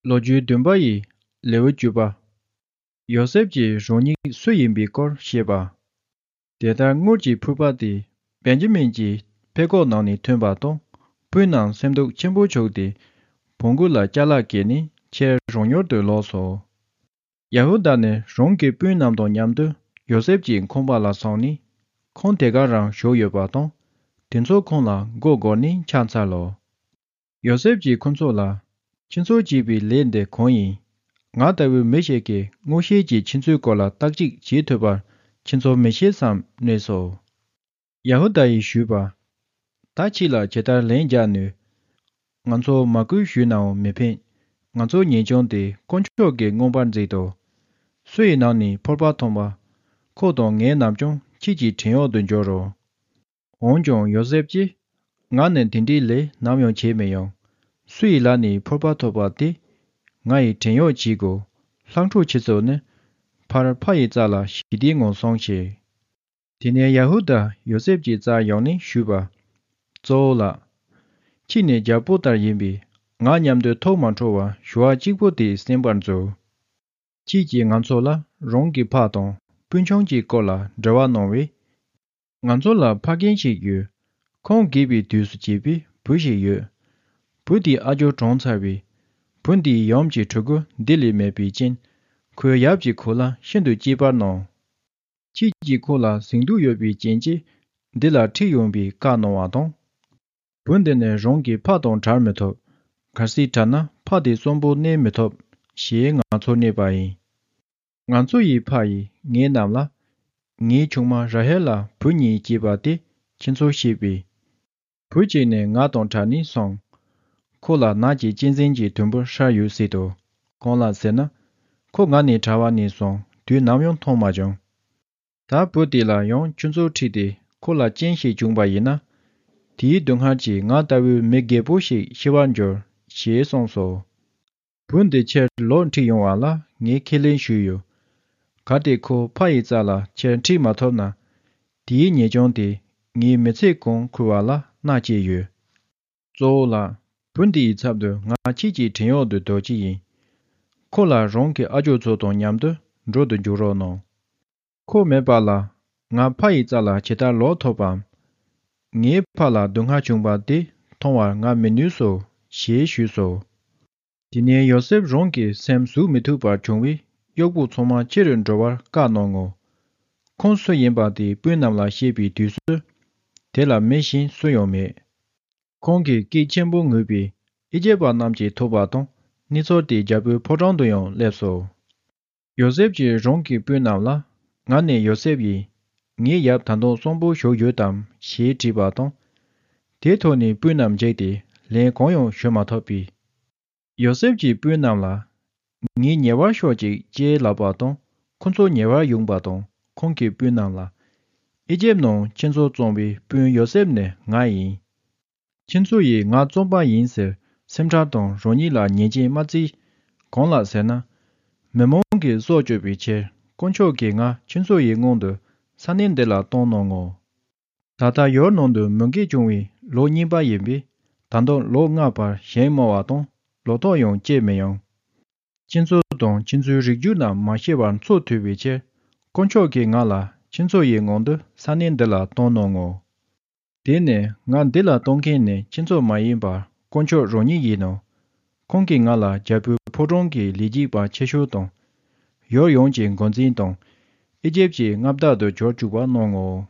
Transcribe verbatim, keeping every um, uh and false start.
ལོ་རྒྱུས་བདུན་པ་ཡི་ལེའུ་བཅུ་པ། ཡོ་སེབ་ཀྱི་རང་ཉིད་སུ་ཡིན་པའི་སྐོར་བཤད་པ། དེ་ལྟར་དངུལ་གྱི་ཕུར་པ་དེ་བེན་ཇ་མིན་གྱི་ཕད་ཀོག་ནང་ནས་ཐོན་པ་དང་། སྤུན་རྣམས་སེམས་སྡུག་ཆེན་པོ་བྱུང་སྟེ། བོང་གུ་ལ་ཅ་ལག་བཀལ་ནས་ཁྱེར་རང་ཡུལ་དུ་ལོག་སོ། ཡ་ཧུ་དཱ་ནི་རང་གི་སྤུན་རྣམས་དང་མཉམ་དུ་ཡོ་སེབ་ཀྱི་ཁང་པ་ལ་སོང་ནས། ཁང་དེ་ག་རང་བཞུགས་ཡོད་པ་དང་། དེ་ཚོ་ཁོང་ལ་མགོ་སྒུར་ནས་འཕྱ་འཚལ་ལོ། ཡོ་སེབ་ཀྱིས་ཁོ་ཚོ་ལ། ཁྱེད་ཚོ་བྱས་པའི་ལས་འདི་གང་ཡིན། ང་ལྟ་བུའི་མི་ཞིག་གིས་མངོན་ཤེས་ཀྱིས་ཁྱེད་ཚོའི་སྐོར་ལ་བརྟག་དཔྱད་བྱེད་ཐུབ་པར་ཁྱེད་ཚོ་མི་ཤེས་སམ་སྨྲས་སོ། ཡ་ཧུ་དཱ་ཡིས་ཞུས་པ། ད་ཁྱེད་ལ་ཇི་ལྟར་ལན་རྒྱག་ནུས། ང་ཚོ་མ་བསྐུལ་ཞུས་ནའང་མི་ཕན། ང་ཚོ་ཉེས་ལྕོགས་དེ་དཀོན་མཆོག་གིས་མངོན་པར་མཛད་དོ། སུ་ཡི་ནང་ནས་ཕོར་པ་ཐོན་པ། ཁོ་དང་ངའི་རྣམས་ཀྱང་ཁྱེད་ཀྱི་བྲན་གཡོག་ཏུ་འགྱུར་རོ། འོན་ཀྱང་ཡོ་སེབ་ཀྱིས། ང་ནི་དེ་འདྲའི་ལས་ནམ་ཡང་བྱས་མི་ཡོང་། སུ་ཡི་ལག་ནས་ཕོར་པ་ཐོབ་པ་དེ། ང་ཡི་བྲན་གཡོག་བྱེད་དགོས། ལྷག་འཕྲོ་ཆེ་ཤོས་ནི། ཕར་ཕ་ཡི་རྩ་ལ་ཞི་བདེའི་ངང་སོང་ཞིག། དེ་ནས་ཡ་ཧུ་དཱ་ཡོ་སེབ་ཀྱི་རྩར་ཡོང་ནས་ཞུས་པ། གཙོ་བོ་ལགས། ཁྱེད་ནི་རྒྱལ་པོ་ལྟར་ཡིན་པས། ང་མཉམ་དུ་ཐུགས་མ་ཁྲོ་བར་ཞུ་བ་གཅིག་པུ་དེ་གསན་པར་མཛོད། ཁྱེད་ཀྱིས་ང་ཚོ་ལ་རང་གི་ཕ་དང་སྤུན་ཆུང་གི་སྐོར་ལ་དྲི་བ་གནང་བས། ང་ཚོ་ལ་ཕ་རྒན་ཞིག་ཡོད། ཁོང་རྒས་པའི་དུས་སུ་སྐྱེས་པའི་བུ་ཞིག་ཡོད། བུ་དེའི་ཨ་ཇོ་གྲོངས་ཚར་བས། བུ་འདིའི་ཡུམ་གྱི་ཕྲུ་གུ་འདི་ལས་མེད་པའི་རྐྱེན། ཁོའི་ཡབ་ཀྱིས་ཁོ་ལ་ཤིན་ཏུ་གཅེས་པར་གནང་། ཁྱེད་ཀྱིས་ཁོ་ལ་གཟེངས་བསྟོད་ཡོད་པའི་རྐྱེན་གྱིས་འདི་ལ་ཁྲིད་ཡོང་བའི་བཀའ་གནང་བ་དང་། བུ་འདི་ནི་རང་གི་ཕ་དང་བྲལ་མི་ཐུབ། གལ་སྲིད་བྲལ་ན་ཕ་དེ་གསོན་པོ་གནས་མི་ཐུབ། ཞེས་ང་ཚོར་སྨྲས་པ་ཡིན། ང་ཚོ་ཡི་ཕ་ཡིས་ངེད་རྣམས་ལ། ངའི་ཆུང་མ་ར་ཧེལ་ལ་བུ་གཉིས་སྐྱེས་པ་དེ་ཁྱེད་ཚོར་བཤད་པས། བུ་གཅིག་ནི་ང་དང་བྲལ་ནས་སོང་། ཁོ་ལ་ནགས་ཀྱི་གཅན་གཟན་གྱི་དུམ་བུ་ཤར་ཡོད་ཟེར་དོ། གང་ལགས་ཟེར་ན། ཁོ་ང་ནས་བྲལ་བ་ནས་བཟུང་དུས་ནམ་ཡང་མཐོང་མ་བྱུང་། ད་བུ་དེ་ལ་ཡང་ཁྱོད་ཚོ་ཁྲིད་དེ་ཁོ་ལ་རྐྱེན་ཞིག་བྱུང་བ་ཡིན་ན། དེའི་སྡུག་བསྔལ་གྱིས་ང་ལྟ་བུའི་མི་རྒད་པོ་ཞིག་ཤི་བར་འགྱུར། ཞེས་གསུངས་སོ། བུ་འདི་ཁྱེད་ལོག་ཁྲིད་ཡོང་བ་ལ་ངས་ཁས་ལེན་ཞུས་ཡོད། གལ་ཏེ་ཁོ་ཕ་ཡི་རྩ་ལ་ཁྱེད་ཁྲིད་མ་ཐུབ་ན། དེའི་ཉེས་ལྕོགས་དེ་ངའི་མི་ཚེ་གང་འཁོར་བ་ལ་མནར་སྐྱེལ་ཡོད། གཙོ་བོ་ལགས། བུ་འདི་ཡི་ཚབ་ཏུ་ང་ཁྱེད་ཀྱི་བྲན་གཡོག་ཏུ་སྡོད་ཀྱི་ཡིན། ཁོ་ལ་རང་གི་ཨ་ཇོ་ཚོ་དང་མཉམ་དུ་འགྲོ་དུ་འཇུག་རོགས་གནང་། ཁོ་མེད་པ་ལ་ང་ཕ་ཡི་རྩ་ལ་ཇི་ལྟར་ལོག་ཐུབ་བམ། ངའི་ཕ་ལ་སྡུག་བསྔལ་བྱུང་བ་དེ་མཐོང་བར་ང་མི་ནུས་སོ། ཞེས་ཞུས་སོ། དེ་ནས་ཡོ་སེབ་རང་གི་སེམས་ཟུག་མི་ཐུབ་པར་བྱུང་བས་གཡོག་པོ་ཚང་མ་ཕྱི་རུ་འགྲོ་བར་བཀའ་གནང་ངོ་། ཁོང་སུ་ཡིན་པ་དེ་སྤུན་རྣམས་ལ་བཤད་པའི་དུས་སུ། དེ་ལ་མི་གཞན་སུ་ཡང་མེད། ཁོང་གིས་སྐད་ཆེན་པོ་ངུས་པས་ཨི་ཇིབ་པ་རྣམས་ཀྱིས་ཐོས་པ་དང་གནས་ཚུལ་དེ་རྒྱལ་པོའི་ཕོ་བྲང་དུ་ཡང་སླེབས་སོ། ཡོ་སེབ་ཀྱིས་རང་གི་སྤུན་རྣམས་ལ། ང་ནི་ཡོ་སེབ་ཡིན། ངའི་ཡབ་ད་དུང་གསོན་པོ་བཞུགས་ཡོད་དམ་ཞེས་དྲིས་པ་དང་། དེའི་ཐོག་ནས་སྤུན་རྣམས་འཇིགས་ཏེ་ལན་གང་ཡང་ཞུ་མ་ཐུབ་པས། ཡོ་སེབ་ཀྱིས་སྤུན་རྣམས་ལ། ངའི་ཉེ་བར་ཤོག་ཅིག་ཅེས་ལབ་པ་དང་ཁོ་ཚོ་ཉེ་བར་ཡོང་པ་དང་ཁོང་གི་སྤུན་རྣམས་ལ། ཨི་ཇིབ་ནང་ཁྱེད་ཚོ་བཙོང་བའི་སྤུན་ཡོ་སེབ་ནི་ང་ཡིན། ཁྱེད་ཚོ་ཡིས་ང་བཙོང་པ་ཡིན་ཟེར་སེམས་ཁྲལ་དང་རང་ཉིད་ལ་ཉེས་ཅན་མ་བརྩི། གང་ལགས་ཟེར་ན། མི་མང་གིས་སྲོག་གཅོད་པའི་ཕྱིར་དཀོན་མཆོག་གིས་ང་ཁྱེད་ཚོ་ཡི་སྔོན་དུ་ས་གནས་འདི་ལ་གཏོང་གནང་ངོ་། ད་ལྟ་ཡུལ་ནང་དུ་མུ་གེ་བྱུང་བའི་ལོ་གཉིས་པ་ཡིན་པས་ད་དུང་ལོ་ལྔ་བར་ཞིང་རྨོ་བ་དང་ལོ་ཏོག་ཡང་སྐྱེ་མི་ཡོང་། ཁྱེད་ཚོ་དང་ཁྱེད་ཚོའི་རིགས་རྒྱུད་རྣམས་མ་ཤི་བར་འཚོ་ཐུབ་པའི་ཕྱིར་དཀོན་མཆོག་གིས་ང་ལ་ཁྱེད་ཚོ་ཡི་སྔོན་དུ་ས་གནས་འདི་ལ་གཏོང་གནང་ངོ་། དེ་ནས་ང་འདི་ལ་གཏོང་མཁན་ནི་ཁྱེད་ཚོ་མ་ཡིན་པར་དཀོན་མཆོག་རང་ཉིད་ཡིན་ནོ། ཁོང་གིས་ང་ལ་རྒྱལ་པོའི་ཕོ་བྲང་གི་ལས་བྱེད་པ་ཆེ་ཤོས་དང་། ཡུལ་ཡོངས་ཀྱི་འགོ་འཛིན་དང་། ཨི་ཇིབ་ཀྱི་མངའ་བདག་ཏུ་གྱུར་བཅུག་པ་གནང་ངོ་།